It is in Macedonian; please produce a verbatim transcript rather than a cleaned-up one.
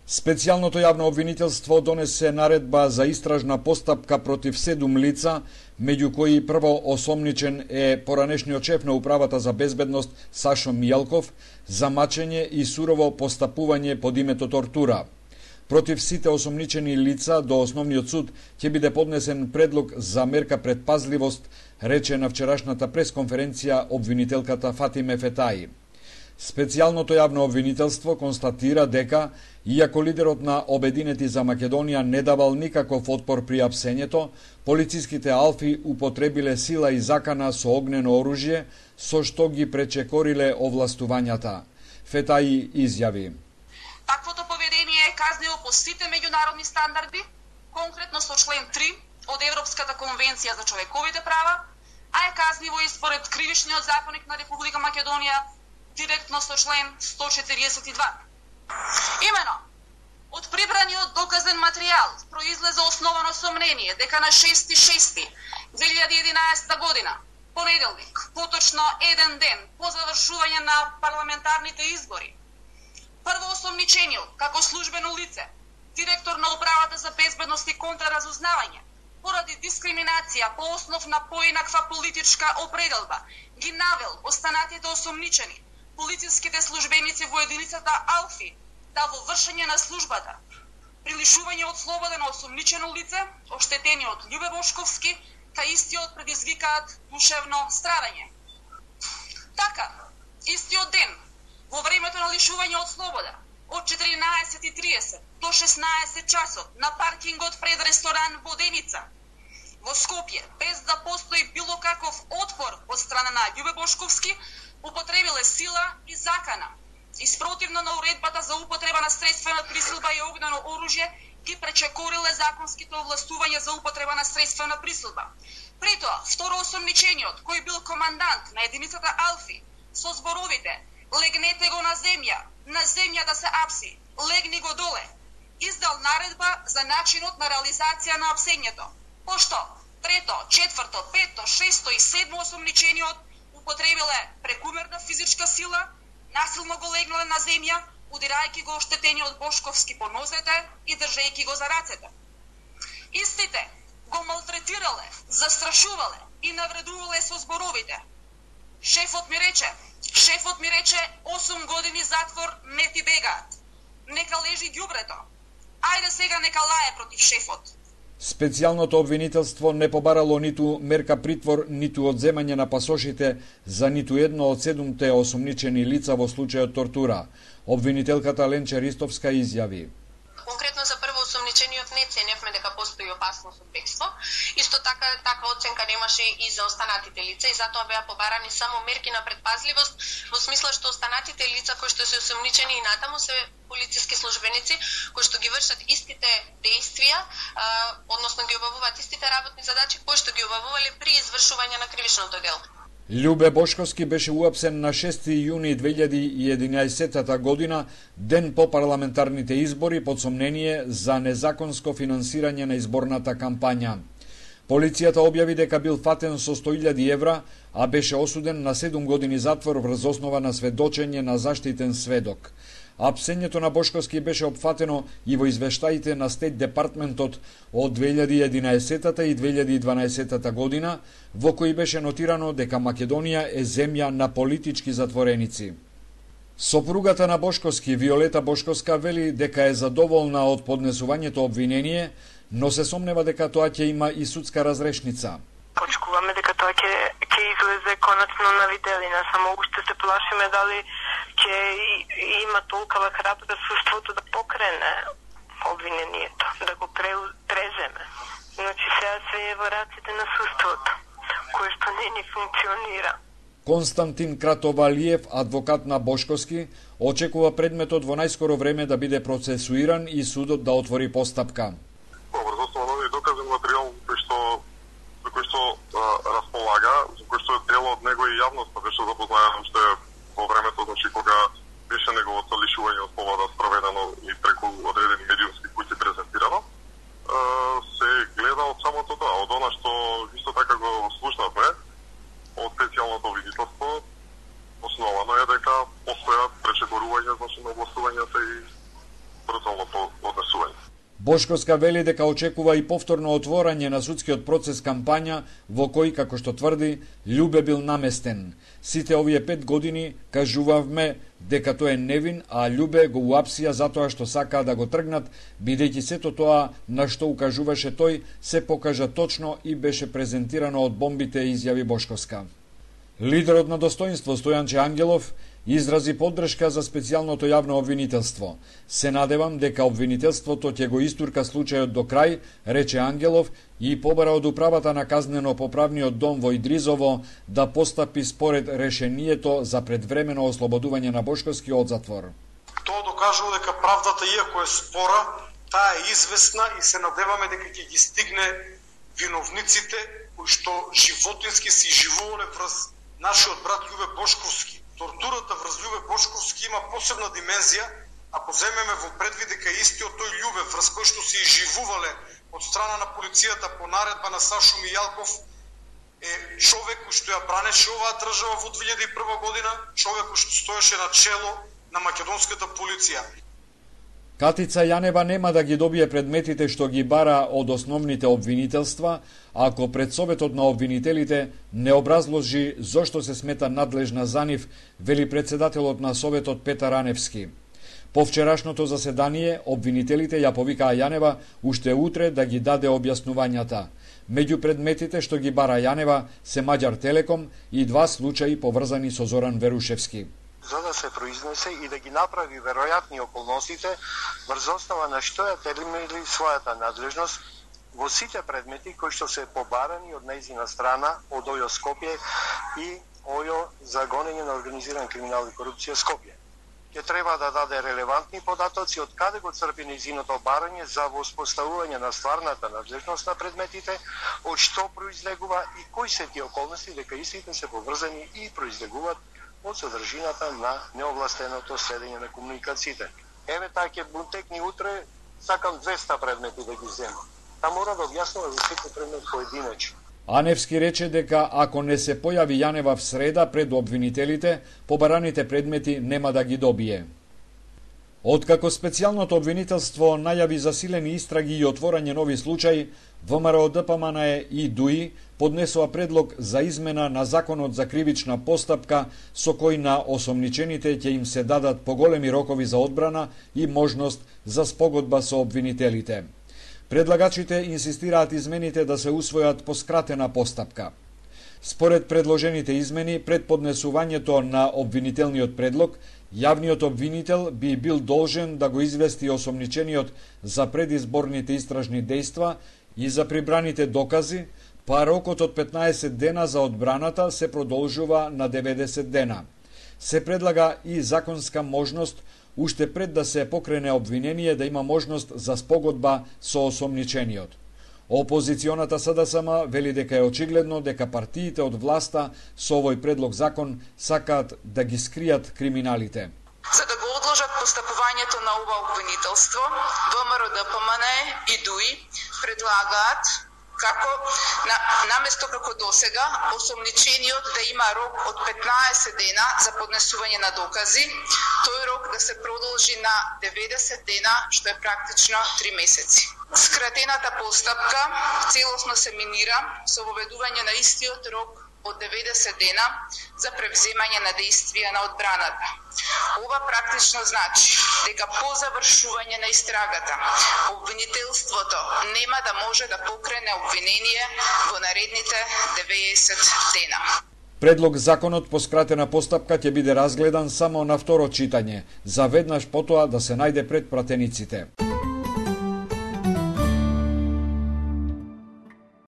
Специјалното јавно обвинителство донесе наредба за истражна постапка против седум лица, меѓу кои прво осомничен е поранешниот шеф на Управата за безбедност Сашо Мијалков за мачење и сурово постапување под името тортура. Против сите осомничени лица до Основниот суд ќе биде поднесен предлог за мерка предпазливост, рече на вчерашната пресконференција обвинителката Фатиме Фетаи. Специјалното јавно обвинителство констатира дека, иако лидерот на Обединети за Македонија не давал никаков отпор при апсењето, полициските алфи употребиле сила и закана со огнено оружје, со што ги пречекориле овластувањата. Фетаи изјави: Таквото поведение е казниво по сите меѓународни стандарди, конкретно со член три од Европската конвенција за човековите права, а е казниво и според Кривичниот законник на Република Македонија, директно со член сто четиридесет и два. Имено, од прибраниот доказен материјал произлезе основано сомнение дека на шести шести две илјади и единаесета година, понеделник, поточно еден ден по завршување на парламентарните избори, прво осомничениот, како службено лице, директор на Управата за безбедност и контраразузнавање, поради дискриминација по основ на поинаква политичка определба, ги навел останатите осомничени, полициските службеници во единицата Алфи, да во вршење на службата, при лишување од слобода на осомничено лице, оштетени од Љубе Бошковски, та истиот предизвикаат душевно страдање. Така, истиот ден, во времето на лишување од слобода, од четиринаесет и триесет до шеснаесет часот на паркингот пред ресторан Воденица, во Скопје, без да постои било каков отпор од страна на Љубе Бошковски, употребиле сила и закана. И спротивно на уредбата за употреба на средствена присилба и огнено оружје, ги пречекориле законските овластувања за употреба на средствена присилба. Притоа, второ осомничениот, кој бил командант на единицата Алфи, со зборовите "Легнете го на земја, на земја да се апси, легни го доле", издал наредба за начинот на реализација на апсењето. Пошто трето, четврто, пето, шесто и седмо осомничениот употребиле прекумерна физичка сила, насилно го легнале на земја, удирајќи го оштетениот Бошковски по нозете и држејќи го за рацете. Истите го малтретирале, застрашувале и навредувале со зборовите: "Шефот ми рече, шефот ми рече осум години затвор не ти бегаат. Нека лежи ѓубрето. Ајде сега нека лае против шефот." Специјалното обвинителство не побарало ниту мерка притвор, ниту одземање на пасошите за ниту едно од седумте осомничени лица во случајот тортура. Обвинителката Ленче Ристовска изјави: Конкретно за прво осомничениот не ценевме дека постои опасност од бегство. Исто така таква оценка немаше и за останатите лица и затоа беа побарани само мерки на предпазливост, во смисла што останатите лица кои што се осомничени и натаму се полициски службеници кои што ги вршат истите дејствија, односно ги обавуваат истите работни задачи кои што ги обавувале при извршување на кривичното дело. Љубе Бошковски беше уапсен на шести јуни две илјади и единаесета година, ден по парламентарните избори, под сомнение за незаконско финансирање на изборната кампања. Полицијата објави дека бил фатен со сто илјади евра, а беше осуден на седум години затвор врз основа на сведочење на заштитен сведок. Апсењето на Бошковски беше опфатено и во извештаите на Стейт Департментот од две илјади и единаесета и две илјади и дванаесета година, во кои беше нотирано дека Македонија е земја на политички затвореници. Сопругата на Бошковски, Виолета Бошковска, вели дека е задоволна од поднесувањето обвинение, но се сомнева дека тоа ќе има и судска разрешница. Очекуваме дека тоа ќе ќе излезе конечно на виделина, само уште се плашиме дали ќе има толкова храбро суството да покрене обвинението, да го преземе. Значи сега се е во раците на суството, кое што не ни функционира. Константин Кратовалиев, адвокат на Бошковски, очекува предметот во најскоро време да биде процесуиран и судот да отвори постапка. Врз основа на овој доказен материјал кој што за кој што располага, за кој што дел од него и јавноста беше запознаена уште во времето, значи кога беше неговото лишување од слобода спроведено и преку одредени медиумски пути презентирано, се гледа од самото тоа, од она што исто така го слушнавме од специјалното обвинителство, основано е дека постојат пречекорувања, значи на областувањата и брутално самото однесување. Бошковска вели дека очекува и повторно отворање на судскиот процес кампања во кој, како што тврди, Љубе бил наместен. Сите овие пет години кажувавме дека тој е невин, а Љубе го уапсија затоа што сакаа да го тргнат, бидејќи сето тоа на што укажуваше тој се покажа точно и беше презентирано од бомбите, изјави Бошковска. Лидерот на Достоинство Стојанче Ангелов изрази поддршка за специјалното јавно обвинителство. Се надевам дека обвинителството ќе го истурка случајот до крај, рече Ангелов, и побара од управата на казнено-поправниот дом во Идризово да постапи според решението за предвремено ослободување на Бошковски од затвор. Тоа докажува дека правдата, иако е спора, таа е известна и се надеваме дека ќе ги стигне виновниците кои што животински се живувале врз нашиот брат Љубе Бошковски. Тортурата врз Љубе Бошковски има посебна димензија, ако земеме во предвид дека истиот тој Љубе врз кој што се изживувале од страна на полицијата по наредба на Сашо Мијалков е човек кој што ја бранеше оваа држава во две илјади и прва година, човек кој што стоеше на чело на македонската полиција. Катица Јанева нема да ги добие предметите што ги бара од основните обвинителства, ако пред Советот на обвинителите не образложи зошто се смета надлежна за нив, вели председателот на Советот Петар Аневски. По вчерашното заседание, обвинителите ја повикаа Јанева уште утре да ги даде објаснувањата. Меѓу предметите што ги бара Јанева се Маѓар Телеком и два случаи поврзани со Зоран Верушевски. За да се произнесе и да ги направи веројатни околностите врз основа на што ја терминили својата надлежност во сите предмети кои што се побарани од нејзина страна од ОЈО Скопје и ОЈО за гонење на организиран криминал и корупција Скопје. Ќе треба да даде релевантни податоци од каде го црпи нејзиното барање за воспоставување на стварната надлежност на предметите, од што произлегува и кои се тие околности дека истите се поврзани и произлегуваат од содржината на неовластеното следење на комуникациите. Еве таа ќе бунтекни утре, сакам двеста предмети да ги земам. Та мора да објаснува за секој предмет поединечно. Аневски рече дека ако не се појави Јанева в среда пред обвинителите, побараните предмети нема да ги добие. Откако специјалното обвинителство најави засилени истраги и отворање нови случаи, ВМРО Д П М Н Е и ДУИ поднесоа предлог за измена на Законот за кривична постапка со кој на осомничените ќе им се дадат поголеми рокови за одбрана и можност за спогодба со обвинителите. Предлагачите инсистираат измените да се усвојат по скратена постапка. Според предложените измени, пред поднесувањето на обвинителниот предлог, јавниот обвинител би бил должен да го извести осомничениот за предизборните истражни дејства и за прибраните докази, па рокот од петнаесет дена за одбраната се продолжува на деветдесет дена. Се предлага и законска можност уште пред да се покрене обвинение да има можност за спогодба со осомничениот. Опозиционата С Д С М вели дека е очигледно дека партиите од власта со овој предлог закон сакаат да ги скријат криминалите. За да го одложат постапувањето на ова обвинителство, ВМРО Д П М Н Е и ДУИ предлагаат како на, наместо како досега осомничениот да има рок од петнаесет дена за поднесување на докази, тој рок да се продолжи на деветдесет дена, што е практично три месеци. Скратената постапка целосно се минира со воведување на истиот рок од деветдесет дена за превземање на дејствија на одбраната. Ова практично значи дека по завршување на истрагата, обвинителството нема да може да покрене обвинение во наредните деветдесет дена. Предлог законот по скратена постапка ќе биде разгледан само на второ читање, за веднаш потоа да се најде пред пратениците.